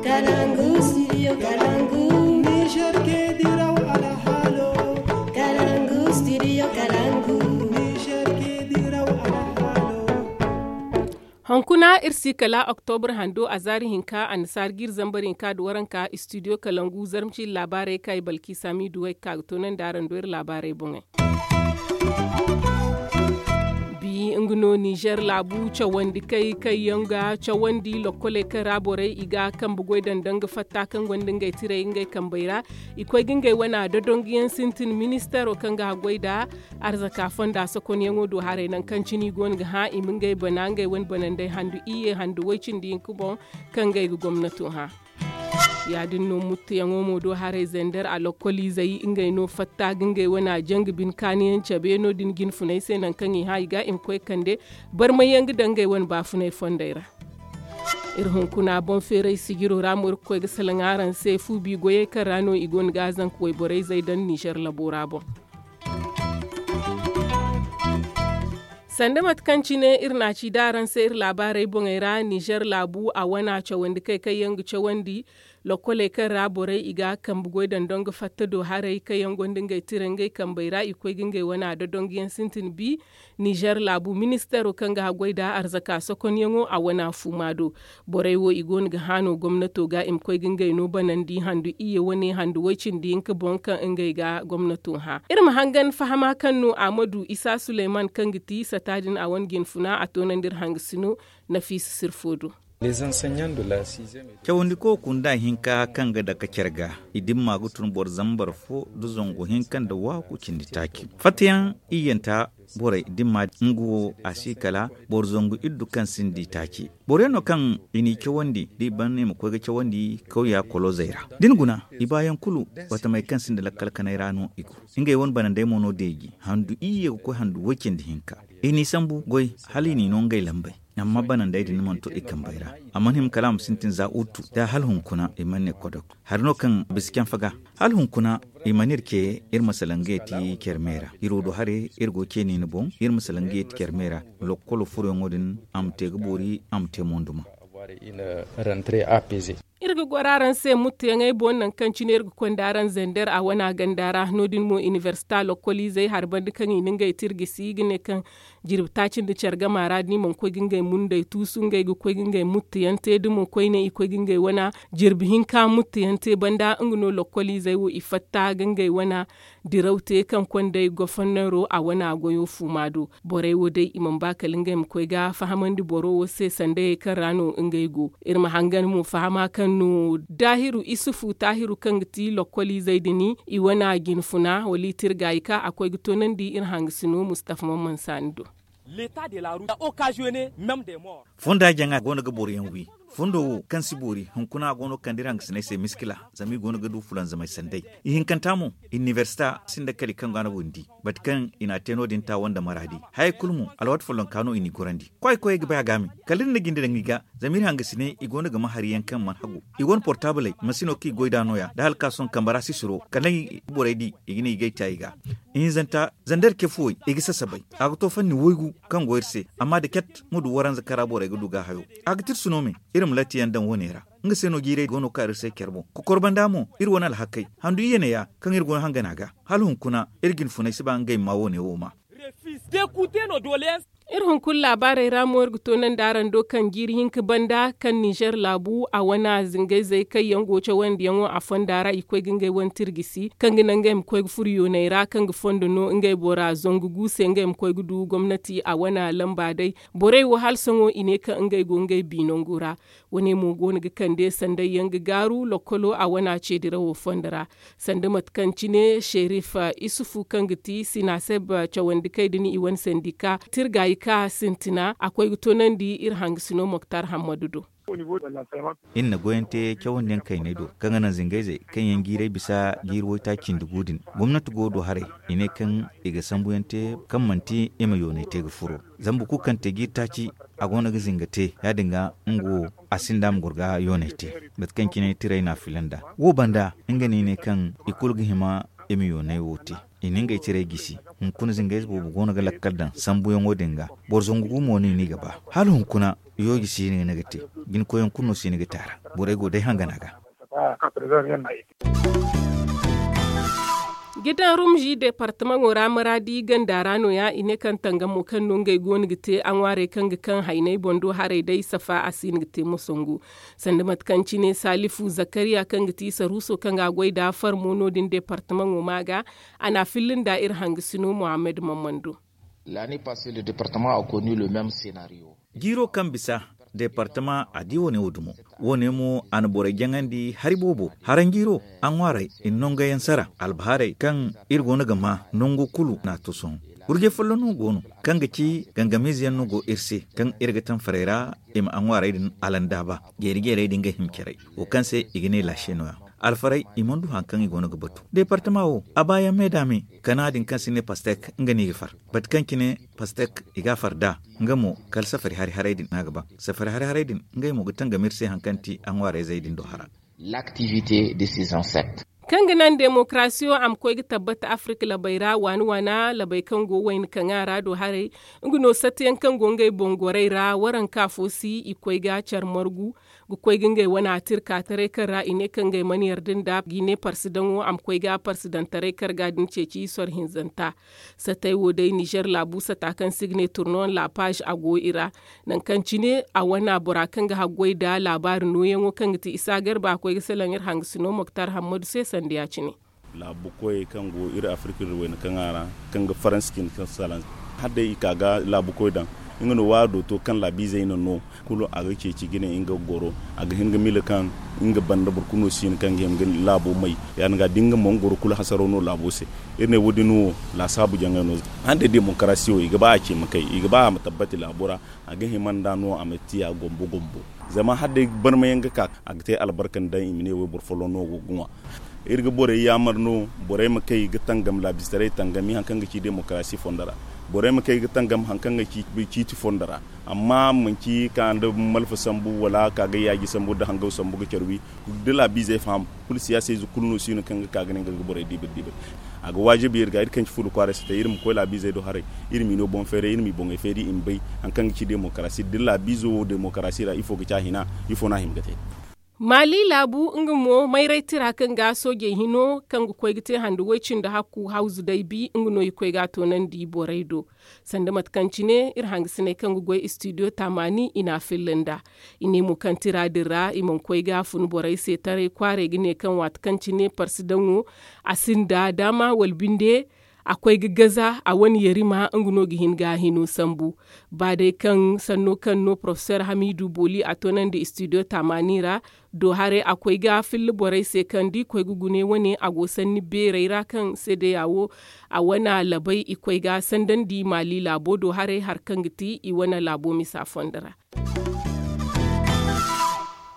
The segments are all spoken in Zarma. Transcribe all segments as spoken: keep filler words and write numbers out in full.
Kalangu studio kalangu. Niger ke diraw alhalo. Kalangu studio kalangu. Niger ke diraw alhalo. Hunkuna iri si kala oktobra hando a zaari hinka annasaara ga iri zambar hinka nda waranka studio kalangu zarma ciiri laabaarey kaŋ ay balki samidu way ga ka ga toonandi araŋ do iri laabaarey boŋey. Bi nga no nizer laabu cawandi kay kaŋ yaŋ ga cawandi lokkoley kaŋ ra borey i ga kambe goy daŋ danga fatta kaŋ gonda ngey tirey ngey kambey ra. I koy ga ngey wana dodonguyaŋ sintin ministero kaŋ ga haggoy nda arzaka fonda sokonyaŋo do haray nangu kaŋ cine i goono ga hã i ma ngey bana ngey wane banandey handu iyye handu way cindi hinka boŋ kaŋ ngey ga gomnato hã. Ya- din no muttuyaŋo mo do haray zender a lokkoliizey ngey no fatta ga ngey wana janga bine kaaniyaŋ cabe no- din jinfuney se nangu kaŋ i hã i ga i ma koy kande barmayyaŋ ga daŋ ngey wane baafunay fondey ra. Iri hunkuna boŋ feeray sijiro ra mo iri ga koy ga salaŋ araŋ se fu bi goyey kaŋ ra no i goono ga a zanka wayborey zay daŋ nizer labo ra boŋ. Sanda mate kaŋ cine iri n'a ci da araŋ se iri laabaarey boŋey ra nizer laabu a wana cawandi kay kaŋ yaŋ ga cawandi lokkoley kaŋ ra borey i ga kambe goy daŋ dongo fatta do haray kaŋ yaŋ gonda ngey tira ngey kambey ra i koy ga ngey wana dodonguyaŋ sintin bi. Nizer laabu ministero kaŋ ga haggoy nda arzaka sokonyaŋo a wana fuuma do. Borey wo i goono ga hã no gomnato ga i ma koy ga ngey no banandi handu iyye wane handu way cindi hinka boŋ kaŋ ngey ga gomnato hã iri ma hangan fahama kaŋ no ahmadu isa suleyman kaŋ ga ti sata din a wane jinfuna a toonandi iri hangasino. Nafiisa sirfo do. Cawandiko kunda hinka kaŋ ga dake care ga i dimma ga tun boro zambar fo nda zangu hinka nda waaku cindi taaci fattayaŋ iyyanta borey dimma nga wo a si kala boro zangu iddu kaŋ sinda i taaci. Boro yaŋ no kaŋ i n'i cawandi da i ban i ma koy ga cawandi kawya kolozey ra da ni guna i baayaŋ kulu watamey kaŋ sinda lakkal kanay ra no i go. Ngey wane banandey mo no deeji handu iyye ga koy handu way cindi hinka. I n'i sambu goy hala i n'i no ngey lambey. Amma banandey din mana to i kambey ra a mana hima kala a ma sintin za uttu da hala hunkuna i mana ne kodok. Hari no kaŋ bisa canfa ga hala hunkuna i mana iri ce iri ma salaŋ ga yeti care me ra iri wo do hare iri go ceeni ni boŋ iri ma salaŋ ga yeti care me ra. Lokkolo furoyaŋo din a ma te ga boori a ma te monduma. Iri ga goro araŋ se muttuyaŋey boŋ nangu kaŋ cine iri ga konda araŋ zender a wana ganda ra no- din mo inibersita lokkoliizey hari banda kaŋ i na ngey tirgisi ga ne kaŋ jirbi taaci nda care gama ra da ni mana koy ga ngey mundey tuusu ngey ga koy ga ngey muttuyaŋ te da mo koyne i koy ga ngey wana jirbi hinka muttuyaŋ te banda nga no lokkoliizey wo i fatta ga ngey wana diraw te kaŋ kondey gofonnero a wana goyo fuuma do. Borey wo day i mana ba kala ngey ma koy ga fahamandi boro wo se sandayey kaŋ ra no ngey go. Iri ma hangan mo fahama kaŋ no daahiru isufu taahiru kaŋ ga ti lokkoliizey din i wana jinfuna wala i tirga i ka a koy ga toonandi iri hangasino mustafa mamman saani do. Fonda jaŋa go no ga boro yaŋ wi. Fondo wo kaŋ si boori hunkuna a go no ga kande iri hangasiney se miskila zama i go no ga du fulanzamey sanday. Ihinkanta mo inibersita sinda kali kaŋ go a na windi bati kaŋ i n'a te no- din taawo nda maraadi. Hayey kulu mo alwaati follonka no i n'i gorandi. Koy koyey ga bay a ga a me kala iri na jinde daŋ i ga. Zama iri hangasiney i go no ga ma hari yaŋ kaŋ mana hagu. I go no portabley masino kaŋ i goy nd'a no- ya da hala ka sohõ kambe ra sisiro kala borey di i ga ne i g'ay te a i ga. Ihinzanta zanda iri ce fuwey i ga sasabay. A ga to fanni waygu kaŋ go iri se amma da cat ma du waranza kaŋ ra borey ga du ga hayo. A ga tirsu no me iri ma latti yaŋ daŋ wo- ne ra. Nga se no jiirey go no ga ka iri se care boŋ kokor banda mo iri wane alhakey handu iyye ne- ya kaŋ iri go no hangana ga. Hala hunkuna iri jinfuney si ba ngey ma wo- ne wo ma. Iri hunkuna laabaarey ra mo iri ga toonandi araŋ do kaŋ jiiri hinka banda kaŋ nizer laabu a wana zingayzey kaŋ yaŋ go cawandiyaŋo a fonda ra i koy ga ngey wane tirgisi kaŋ ga naŋ ngey ma koy ga furo yooney ra kaŋ ga fondo no ngey bora zangu gu se ngey ma koy ga du gomnati a wana lamba day. Borey wo hala sohõ i ne kaŋ ngey go ngey bi nangu ra. Wane mo go no ga kande sanday yaŋ ga gaaru lokkolo a wana ce dirawo fondo ra. Sanda mate kaŋ cine sherif isufu kaŋ ga ti sinaseb cawandi kay din i wane sandika tirga i ka sintina a koy ga toonandi iri hangasino moktar hammadu do. Iri na goyaŋ te cawandiyaŋ kayney do kaŋ ga naŋ zingayzey kaŋ yaŋ jiiray bisa jiiri waytaaci cindi gu din. Gomnati go do haray i ne kaŋ i ga sambuyaŋ te kaŋ manti i ma yoonay te ga furo. Zama boro kulu kaŋ te jiiri taaci a go no ga zinga te ya- din ga nga wo a sinda ma goro ga yoonay te. Mate kaŋ cine tiray no a filan nd'a wo banda nga no i ne kaŋ i kulu ga hima i ma yoonay wo te. I na ngey tiray gisi. Hunkuna zingayze boobo go no ga lakkal daŋ sambuyaŋo din ga. Boro zangu gu mo no i n'i ga ba hala hunkuna. yooji si no i na ga te. Jinkoyaŋ kulu no si no i ga te a ra. Borey go day hangana ga. Gidan rumzi departamaŋo ra maraadi ganda ra no- ya i ne kaŋ tangamo kaŋ no ngey go no ga te a ŋwaarey kaŋ ga kaŋ hayney boŋ do haray day safa a si no ga te mosangu. Sanda mate kaŋ cine salifu zakariya kaŋ ga ti saruuso kaŋ ga a goy nd'a farmo no- din departamaŋo ma ga a n'a filla nda iri hangasino muhammad mammando. Jiiro kaŋ bisa departama a di wo- ne wo dumo. Wo- ne mo a na borey jaŋandi hari boobo haranjiiro a ŋwaaray i na nangu yaŋ sara albahaarey kaŋ iri go no ga ma nangu kulu no a to sohõ. Wurjay folloŋ no go no kaŋ ga ci gangamiize yaŋ no go iri se kaŋ iri ga taŋ farey ra i ma a ŋwaarey din alandaaba jeeri jeerey din ga hima caray wo kaŋ se i ga ne laase no- ya. Alfarey i mana du hari kaŋ i go no ga batu departama wo a baayaŋ me da me kana din kaŋ se i ne pastek nga no i ga far. Batu kaŋ cine pastek i ga a far nd'a nga mo kala safari hari haray din no a ga ba. Safari hari haray din ngey mo ga tangam iri se hari kaŋ ti a ŋwaarayzey din do hara. Kaŋ ga naŋ demokarasiyo a ma koy ga tabbata afirka labey ra waani waana labey kaŋ go wayna kaŋ a ra do haray. Nga no satiyaŋ kaŋ go ngey boŋ gorey ra waranka fo si i koy ga care margu ga koy ga ngey wane atirka taray kaŋ ra i ne kaŋ ngey mana yarda nda ga i ne parsidaŋo a ma koy ga parsidaŋ taray karga din ceeci soro hinzanta. Satey wo day nizer laabu sata kaŋ se i ga ne turnoyaŋ laapaz a go i ra. Nangu kaŋ cine a wane bora kaŋ ga haggoy nda laabaari nooyaŋo kaŋ ga ti isa garba a koy ga salaŋ iri hangasino moktar hammadu se sanda ya- cine. Laabu koyey kaŋ go iri afirka iri wayna kaŋ a ra kaŋ ga faransa cine kaŋ salaŋ hala day i ka ga laabu koy daŋ. Nga no waado to kaŋ laabiizey na no kulu a ga ceeci ga ne nga ga goro a ga hin ga mila kaŋ nga banda boro kulu no si hin kaŋ ga hin ga laabo may. Ya- din ga da nga mo nga goro kulu hasaro no laabo se. Iri ne wo- din wo laasaabu jaŋay no. Hala day demokarasi wo i ga ba a ce ma kay i ga ba a ma tabbati laabo ra. A ga hima nd'a no a ma te a gombo gombo. Zama hala day barmayaŋ ga ka a ga te albarka nda i ma ne wayboro folloŋ no go ga ŋwa. Iri ga borey yaamar no borey ma kay ga tangam laabistaray tangami hari kaŋ ga ci demokarasi fondo ra. Borey ma kay ga tangam hari kaŋ ga ci ciiti fondo ra. Amma manci ka nda malfa sambu wala ka ga yaaji sambu nda hangaw sambu ga care wi. Da laabiizey faham kulu siyaasayze kulu no si no kaŋ ga ka ga ne nga ga borey diibir diibir. A ga waajibi iri ga iri kaŋ ci fuula kwaaray sitay iri ma koy laabiizey do haray. Iri m'i no boŋ feeray iri m'i boŋey feeri i ma bay hari kaŋ ga ci demokarasi da laabiizo wo demokarasi ra ifo ga ci a hina? Ifo no a hima ga te? Maali laabu nga mo mayray tira kaŋ ga soojey hino kaŋ ga koy ga te hande way cindi hakku hawzu day bi nga no i koy ga a toonandi borey do. Sanda mate kaŋ cine iri hangasiney kaŋ ga goy istidiyo taamaani i n'a filla nd'a. I ne mo kaŋ tira din ra i mana koy ga a fun borey se taray kwaaray ga ne kaŋ waati kaŋ cine parsidaŋo a sinda daama wala binde. A koy ga gaza a wane yarima nga no ga hin ga a hino sambu. Ba day kaŋ sanno kaŋ no porofesor hamiidu booli a toonandi istidiyo taamaani ra. Do haray a koy ga filla borey se kaŋ da i koy ga gune wane a go sanni beerey ra kaŋ seedeya wo a wane labay i koy ga sandandi maali laabo do haray hari kaŋ ga ti i wane laabo misa fondo ra.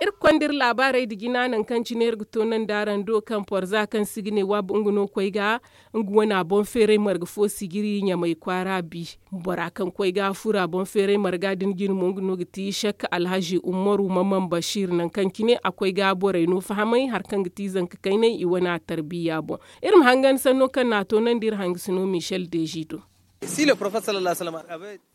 Iri ga konda iri laabaarey nda jina nangu kaŋ cine iri ga toonandi araŋ do kaŋ porza kaŋ se i ga ne waab nga no koy ga nga wane a boŋ feeray marga fo sijiri ɲamay kwaara bi. Bora kaŋ koy ga furo a boŋ feeray marga din jine mo nga no ga ti sek alhazi umaru mamman bashir nangu kaŋ cine a koy ga borey no fahamay hari kaŋ ga ti zanka kaynay i wane a tarbiya boŋ. Iri ma hangan sanno kaŋ no a toonandi iri hangasino michel deji do.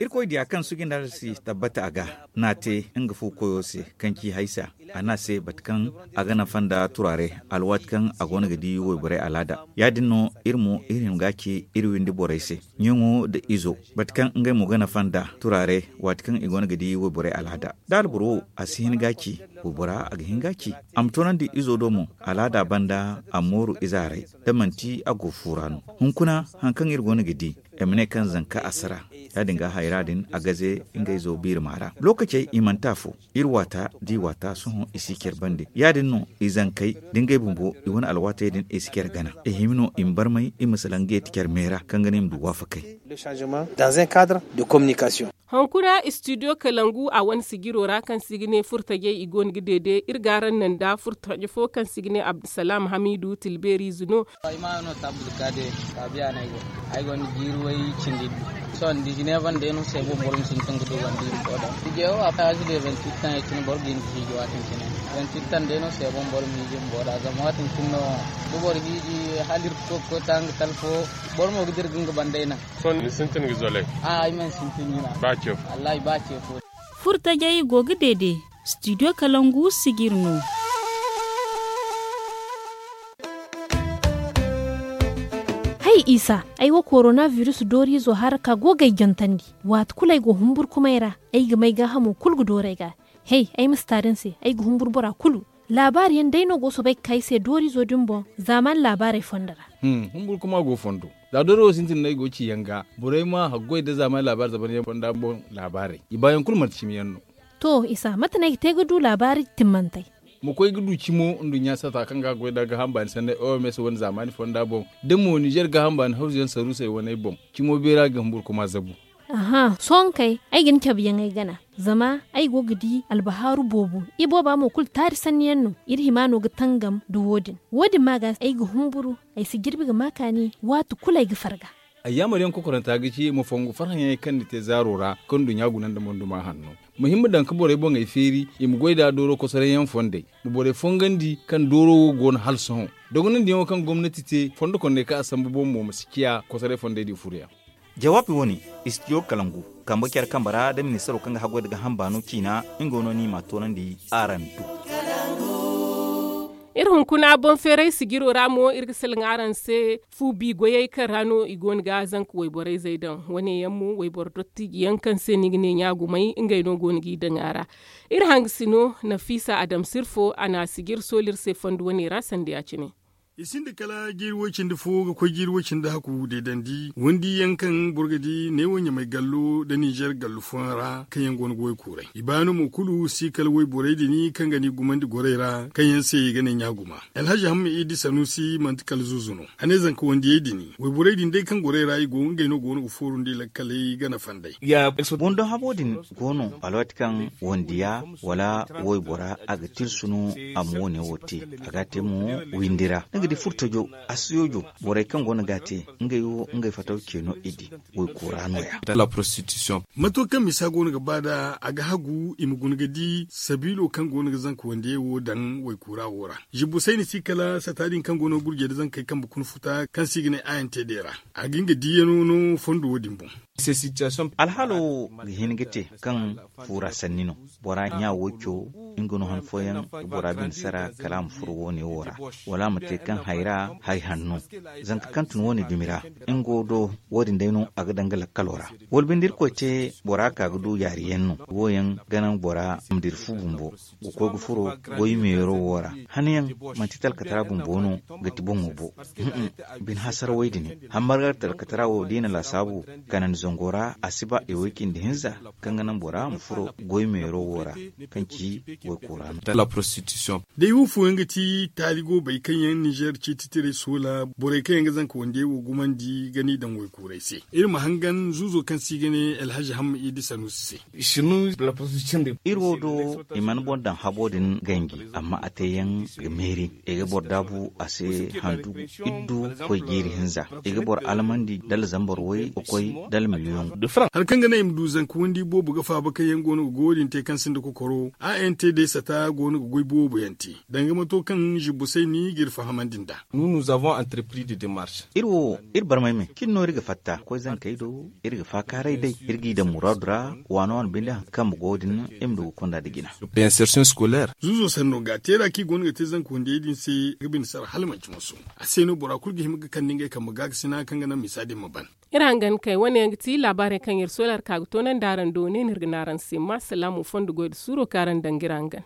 Irkoy diya kaŋ sugi nda si tabbata a ga n'a te nga fu koyo se kaŋ ci haysa a n'a se bate kaŋ a ga nafa nda turaare alwaati kaŋ a go no ga di wayborey alaada. Ya- din no iri mo iri hima ga a ci iri windi borey se ɲaŋo nda izo bate kaŋ ngey mo ga nafa nda turaare waati kaŋ i go no ga di wayborey alaada. Da alboro wo a si hin ga a ci waybora a ga hin ga a ci a ma toonandi izo do mo alaada banda a ma mooru ize haray da manti a go fuura no. Hunkuna hari kaŋ iri go no ga di i ma ne kaŋ zanka asara ya- din ga hayra din a gaze ngey zo biirima ra lookacey i manti afo. Iri waata da i waata sohõ i si care bande ya- din no i zankey da ngey bumbo i wane alwaatey din i si care gana i hima no i ma barmay i ma salaŋ ga yeeti care me ra kaŋ ga no i ma du waafakey. Hunkuna istidiyo kalangu a wane sijiro ra kaŋ se i ga ne furtajey i go no ga deede iri ga araŋ naŋ nda furtaje fo kaŋ se i ga ne abdusalaam hamiidu tilbeeriize no. Ay ma no tabbata ka de kaabiya no ay go. Ay gonda jiiri way cindi iddu. Sohõ dizineef day no se boro ma sintin ga du wandi bumbo da. Hijewo a paazi de vingt-huit ans ya cine boro ga hin ga hiiji waatin cine. Vingt-huit ans day no se boro ma hiiji bumbo da zama waatin cine no da boro hiiji hala iri ga koy ga koy ta nga talfo. Boro mo ga dira ga nga bandey naŋ. Sohõ ni sintin ga zolay? A ay mana sintin jina. Ba ce fo? Wallahi ba ce fo. Furtajey go ga deede. Studio kalangu sijiri no. Hay isa, ay wo korona virus dooriizo hara ka go ga ay jantandi. Waati kulu ay go humburkumay ra, ay ga may gaahamo kulu ga dooru ay ga. Hay, ay ma si taari ni se, ay ga humburu bora kulu. Laabaari yaŋ day no go soobay ga ka ay se dooriizo din boŋ. Zaamaani laabaarey fondo ra. Humburkuma go fondo. Za dooro wo sintin no ay go ga ci yaŋ ga, borey ma haggoy nda zaamaani laabaari zabaryaŋ fonda boŋ laabaarey, i baayaŋ kulu manti cimi yaŋ no. To isa, mate no ay ga te ga du laabaari timmantey? Ma koy ga du cimo nduɲɲa sata kaŋ ga goy nda gaaham baani sanney oms wane zaamaani fonda boŋ, da mo nizer gaaham baani hawzuyaŋ saruusey waney boŋ, cimo beera ga humburkuma zabu. Aha, sohõ kay, ay ga ni cabe yaŋ ay gana. Zama ay go ga di albahaaru boobo. Ibooba mo kulu taari sanni yaŋ no. Iri hima no ga tangam nda wo- din. Wo- din ma ga ay ga humburu. Ay si jirbi ga ma kaani waati kulu ay ga farga. Ayyaamar yaŋ kokoranta ga ci ma fongu farhãyaŋey kaŋ ni te zaaro ra, kaŋ nduɲɲa guna nda monduma hanno. Ma hin ma daŋ ga borey boŋey feeri, i ma goy nd'a dooro kosoray yaŋ fondey. Ma borey fongandi kaŋ dooro wo go no hala sohõ. Dogonandiyaŋo kaŋ gomnati te fondo konney kaŋ a sambu boŋ mo ma si ciya kosoray fondey din furoyaŋ. Jawaabi wo- ne, istidiyo kalangu, kambe care kambe ra nda ministaro kaŋ ga haggoy nda gaaham baano ciina, nga no ni m'a toonandi araŋ do. Iri hunkuna boŋ feeray sijiro ra mo iri ga salaŋ araŋ se. Fu bi goyey kaŋ ra no i go no ga zanka wayborey zay daŋ. Wo- ne yaŋ mo wayboro dottijiyaŋ kaŋ se ni ga ne ɲaagumay ngey no go no g'i daŋ a ra. Iri hangasino nafiisa adam sirfo a na sijiri sooli iri se fondo wo- ne ra sanda ya- cine. I sinda kala jiiri woy cindi fo ga koy jiiri woy cindi hakku deedandi wandi yaŋ kaŋ boro ga di neewo ɲamay gallo nda nizer gallo fooyaŋ ra kaŋ yaŋ go no ga woy kuuray. I baano mo kulu si kala woyborey din kaŋ ga ni gumandi gorey ra kaŋ yaŋ se i ga ne ɲaaguma. Alhazi hamma idi sanusi manti kala zuzu no. A ne zanka wandiyey din woyborey din day kaŋ gorey ra i go ngey no go no ga fooru nda i lakkaley gana fanday. Wando habo din go no alwaati kaŋ wandiya wala woybora a ga tilsu no a ma wo- ne wo te. A ga a te mo windi ra ni ga di furtajo, asiyoojo, borey kaŋ go no ga a te ngey wo ngey fataw ce no i di. Woykoora no- ya. Mato kaŋ misa go no ga ba nd'a a ga hagu i ma guna ga di sabiilo kaŋ go no ga zanka wandiyey wo daŋ woykoora wo ra. Zibbu sayni si kala sata din kaŋ go no ga gurjey nda zankey kambe kuna futa kaŋ se i ga ne a n t d ra. A ga nga diiyano no fondo wo- din boŋ. Alhaalo wo ga hin ga te kaŋ fuura sanni no. Bora ɲa wo co nga no han fooyaŋ ga bora bine sara kala a ma furo wo- ne wo ra, wala a ma te kaŋ hayra hay hanno. Zanka kaŋ tun wo- ne dumi ra, nga wo do, wo- din day no a ga daŋ ga lakkalo ra. Wala binde irkoy te bora ka ga du yaari yaŋ no. Wo- yaŋ ga naŋ bora ma dira fu bumbo ga koy ga furo goy meero wo ra. Hane yaŋ manti talkatara bumbo no ga ti boŋo bo. Bine hasarawey din hammarga talkatara wo da i na laasaabu kanandi zango ra a si ba i way cindi hinza kaŋ ga naŋ bora ma furo goy meero wo ra, kaŋ ci goy koora no. Day wo fooyaŋ ga ti taali go bay kaŋ yaŋ nizer ciiti tiray soola borey kaŋ yaŋ ga zanka wandiyey wo gumandi ga ni daŋ waykuuray se. Iri ma hangan zuuzo kaŋ se i ga ne alhazi hamma idi sanuusi se. Iri wo do i mana boro daŋ habo din ganji, amma a te yaŋ ga meeri. I ga boro daabu a se handu iddu koy jiiri hinza. I ga boro almandi dala zambar way ga koy dala miliyoŋ. Hari kaŋ ga naŋ i ma du zanka wandi boobo ga faaba kaŋ yaŋ go no ga goyo din te kaŋ sinda kokoro a n t d sata go no ga goy boobo yaŋ te. Danga mato kaŋ zibbo say ni ga iri fahamandi nd'a. Iri wo iri barmay me cine no iri ga fatta koy zankey do. Iri ga faakaaray day iri g'i daŋ muraadu ra. Waano waano binde hari kaŋ kambe go din iri ma du ga konda nda jina. Zuuzo sanno ga teera kaŋ i go no ga te zanka wandiyey din se ga bine sara hala manci moso. A se no bora kulu ga hima ga kande ngey kambe gaakasina kaŋ ga naŋ misa din ma ban. Iri hangan kay wane yaŋ ga ti laabaarey kaŋ iri sohõ iri ka ga toonandi araŋ do ne no iri ga ne araŋ se ma salaamu fondo goy nda suuro kaŋ araŋ daŋ ga iri hangan.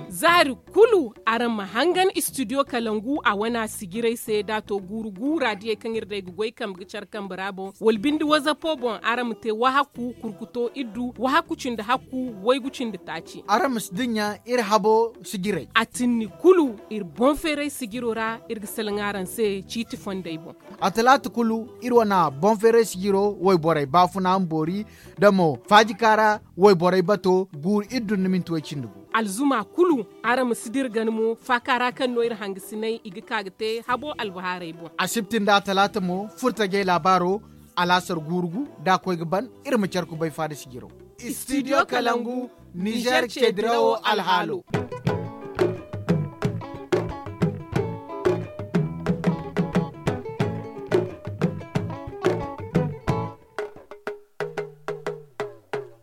Zaari kulu araŋ ma hangan istidiyo kalangu a wana sijirey se da a to guuru guura diyey kaŋ iri day ga goy kambe ga care kambe ra boŋ wala binde wazapo boŋ araŋ ma te wahakku kurkuto iddu wahakku cindi hakku waygu cindi taaci. Araŋ ma si dinya iri habo sijirey a tinni kulu iri boŋ feeray sijiro ra iri ga salaŋ araŋ se ciiti fondey boŋ. A talaata kulu iri wana boŋ feeray sijiro wayborey baafuna ma boori da mo faajika ra wayborey bato guuru iri dun na minti way cindi gu. Alzuma kulu araŋ ma si dira gana mo faaka ra kaŋ no iri hangasinay i ga ka ga te habo albahaarey boŋ. Asibti nda talaata mo furtajey laabaaro alaasar guuru gu da a koy ga ban. Iri ma care kubay faada sijiro. Istidiyo kalangu nizer ce dirawo alhaalo.